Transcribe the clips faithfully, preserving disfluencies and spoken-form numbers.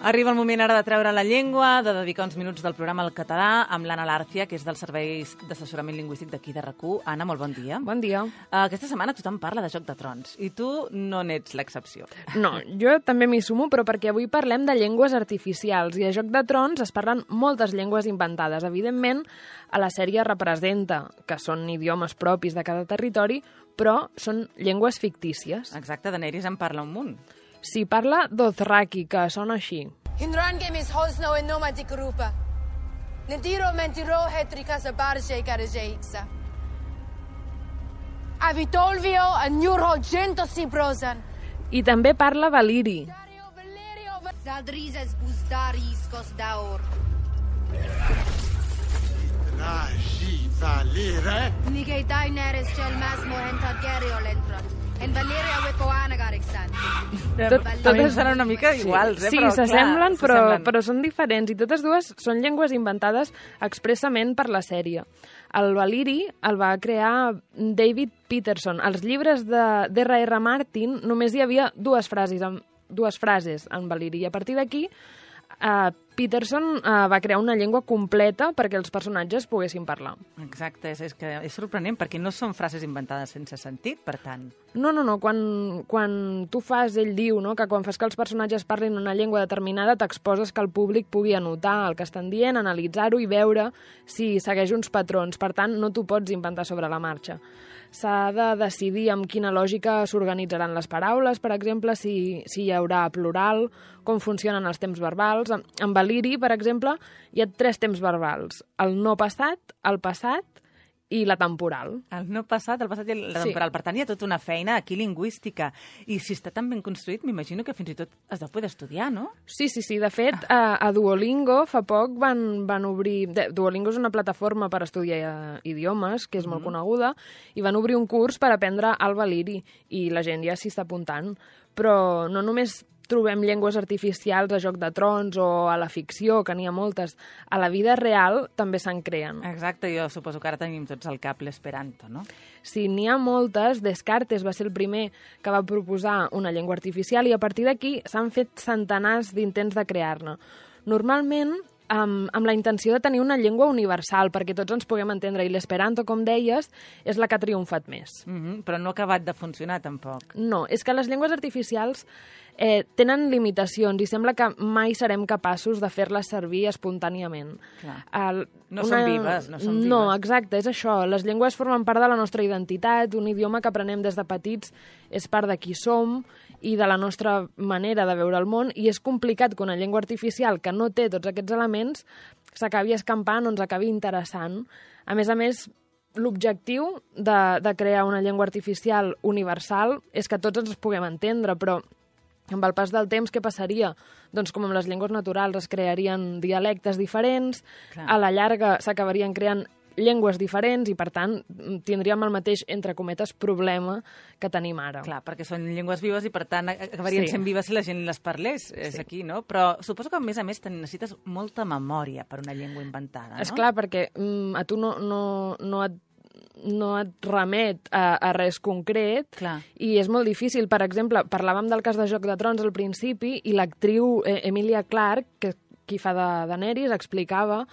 Arriba el moment ara de treure la llengua, de dedicar uns minuts del programa al català amb l'Anna Lárcia, que és dels serveis d'assessorament lingüístic d'aquí de RAC u. Anna, molt bon dia. Bon dia. Uh, aquesta setmana tothom parla de Joc de Trons i tu no n'ets l'excepció. No, jo també m'hi sumo, però perquè avui parlem de llengües artificials i a Joc de Trons es parlen moltes llengües inventades. Evidentment, a la sèrie representa que són idiomes propis de cada territori, però són llengües fictícies. Exacte, Daenerys en parla un munt. S'hi parla Dothraki, que sona així. Hinrangem is hosno en noma di grupa. Nediro mentiro hetricas a barge garajeixa. Avitolvio a njurho gento si brosan. I també parla Valiri. Zaldrizes busdaris cos daor. Raji Valere. Nige daineres gel masmo henta gerio lentron. En Valeria Wepoana Garexan. Tot, totes seran una mica iguals, sí, eh? Sí, però, s'assemblen, clar, però, s'assemblen. però són diferents. I totes dues són llengües inventades expressament per la sèrie. El Valiri el va crear David Peterson. Als llibres de d'R R Martin només hi havia dues frases en, dues frases en Valiri. I a partir d'aquí, uh, Peterson uh, va crear una llengua completa perquè els personatges poguessin parlar. Exacte, és, és, que és sorprenent perquè no són frases inventades sense sentit, per tant. No, no, no. Quan, quan tu fas, ell diu, no?, que quan fas que els personatges parlin una llengua determinada t'exposes que el públic pugui anotar el que estan dient, analitzar-ho i veure si segueix uns patrons. Per tant, no t'ho pots inventar sobre la marxa. S'ha de decidir amb quina lògica s'organitzaran les paraules, per exemple, si, si hi haurà plural, com funcionen els temps verbals. En Valiri, per exemple, hi ha tres temps verbals. El no passat, el passat i la temporal. El no passat, el passat i la temporal. Sí. Per tant, hi ha tota una feina aquí lingüística. I si està tan ben construït, m'imagino que fins i tot es deu poder estudiar, no? Sí, sí, sí. De fet, a, a Duolingo fa poc van, van obrir... Duolingo és una plataforma per estudiar idiomes, que és molt mm-hmm. coneguda, i van obrir un curs per aprendre el Valiri, i la gent ja s'hi està apuntant. Però no només trobem llengües artificials a Joc de Trons o a la ficció, que n'hi ha moltes. A la vida real també se'n creen. Exacte, jo suposo que ara tenim tots al cap l'esperanto, no? Sí, n'hi ha moltes. Descartes va ser el primer que va proposar una llengua artificial i a partir d'aquí s'han fet centenars d'intents de crear-ne. Normalment, amb, amb la intenció de tenir una llengua universal, perquè tots ens puguem entendre, i l'esperanto, com deies, és la que ha triomfat més. Mm-hmm, però no ha acabat de funcionar, tampoc. No, és que les llengües artificials eh, tenen limitacions i sembla que mai serem capaços de fer-les servir espontàniament. El, no una... són vives, no són vives. No, exacte, és això. Les llengües formen part de la nostra identitat, un idioma que aprenem des de petits és part de qui som i de la nostra manera de veure el món, i és complicat que una llengua artificial que no té tots aquests elements s'acabi escampant o ens acabi interessant. A més a més, l'objectiu de, de crear una llengua artificial universal és que tots ens puguem entendre, però amb el pas del temps, què passaria? Doncs com amb les llengües naturals es crearien dialectes diferents, clar, a la llarga s'acabarien creant llengües diferents i, per tant, tindríem el mateix, entre cometes, problema que tenim ara. Clar, perquè són llengües vives i, per tant, acabarien sí. sent vives si la gent les parlés. És sí. aquí, no? Però suposo que, a més a més, necessites molta memòria per una llengua inventada, no? Esclar, perquè mm, a tu no, no, no et no et remet a, a res concret. Clar. I és molt difícil. Per exemple, parlàvem del cas de Joc de Trons al principi i l'actriu eh, Emilia Clarke, que, qui fa de Daenerys, explicava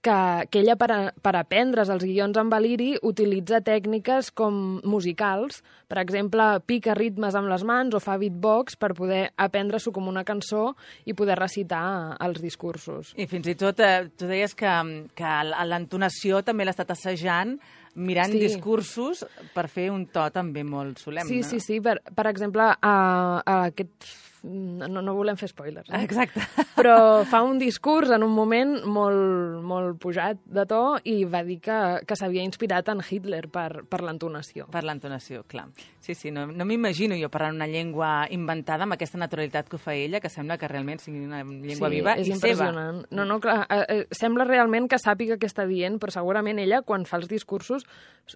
que, que ella per, a, per aprendre's els guions en Valiri utilitza tècniques com musicals. Per exemple, pica ritmes amb les mans o fa beatbox per poder aprendre-s'ho com una cançó i poder recitar els discursos. I fins i tot, eh, tu deies que, que l'entonació també l'ha estat assajant mirant sí. discursos per fer un to també molt solemne. Sí, sí, sí. Per, per exemple, a, a aquest... No, no volem fer spoilers. Eh? Exacte. Però fa un discurs en un moment molt, molt pujat de to i va dir que, que s'havia inspirat en Hitler per, per l'entonació. Per l'entonació, clar. Sí, sí, no, no m'imagino jo parlant una llengua inventada amb aquesta naturalitat que ho fa ella, que sembla que realment sigui una llengua sí, viva i seva. Sí, és impressionant. No, no, clar, eh, sembla realment que sàpiga què està dient, però segurament ella, quan fa els discursos,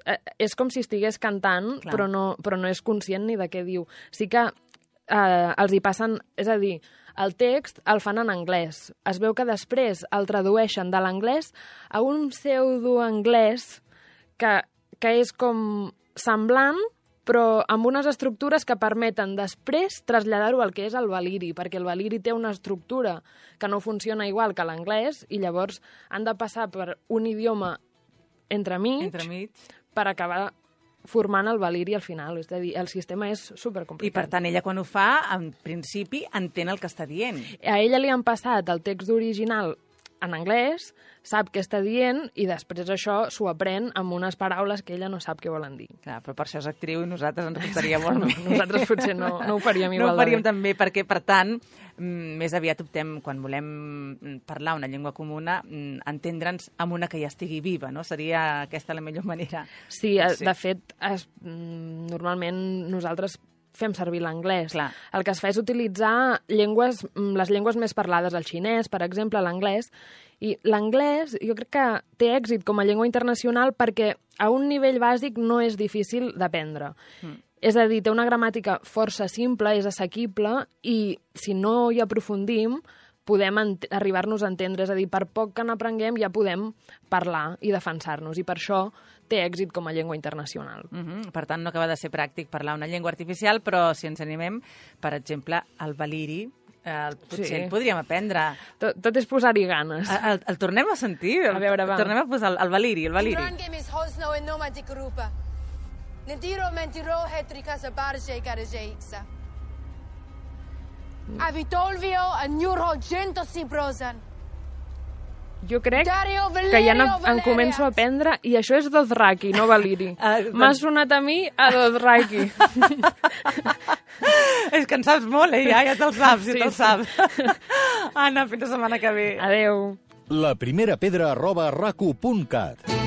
eh, és com si estigués cantant, però no, però no és conscient ni de què diu. Sí que eh, els hi passen... És a dir, el text el fan en anglès. Es veu que després el tradueixen de l'anglès a un pseudo-anglès que, que és com semblant, però amb unes estructures que permeten després traslladar-ho al que és el valiri, perquè el valiri té una estructura que no funciona igual que l'anglès i llavors han de passar per un idioma entremig, Entremig. per acabar formant el valiri al final. És a dir, el sistema és supercomplicat. I, per tant, ella quan ho fa, en principi, entén el que està dient. A ella li han passat el text original en anglès, sap què està dient i després això s'ho aprèn amb unes paraules que ella no sap què volen dir. Clar, però per això és actriu i nosaltres ens costaria molt No, més. nosaltres potser no, no ho faríem igual No ho faríem de bé. tan bé, perquè, per tant, mm, més aviat optem, quan volem parlar una llengua comuna, mm, entendre'ns amb una que ja estigui viva, no? Seria aquesta la millor manera. Sí, eh, Sí. de fet, es, mm, normalment nosaltres fem servir l'anglès. Clar. El que es fa és utilitzar llengües, mm, les llengües més parlades, el xinès, per exemple, l'anglès, i l'anglès jo crec que té èxit com a llengua internacional perquè a un nivell bàsic no és difícil d'aprendre. Mm. És a dir, té una gramàtica força simple, és assequible, i si no hi aprofundim, podem arribar-nos a entendre. És a dir, per poc que n'aprenguem ja podem parlar i defensar-nos, i per això té èxit com a llengua internacional. Uh -huh. Per tant, no acaba de ser pràctic parlar una llengua artificial, però si ens animem, per exemple, el valiri, eh, potser Sí. el podríem aprendre. Tot, tot és posar-hi ganes. El, el, el tornem a sentir? A veure, va. Tornem a posar el, el valiri, el valiri. Rangem is hosno en nomadik rupa. Nendiro mentiro hetrika sa barje garajeixa. Avitolvio a Njurho gento si brosan. Jo crec Dario que ja Valerio no, en Valeria. començo a aprendre, i això és Dothraki, no valiri. Ah, M'ha sonat a mi a Dothraki. És que en saps molt, eh? Ja, ja te'l saps, ja Sí, te'l sí. saps. Anna, fins la setmana que ve. Adeu. La primera pedra arroba racu punt cat.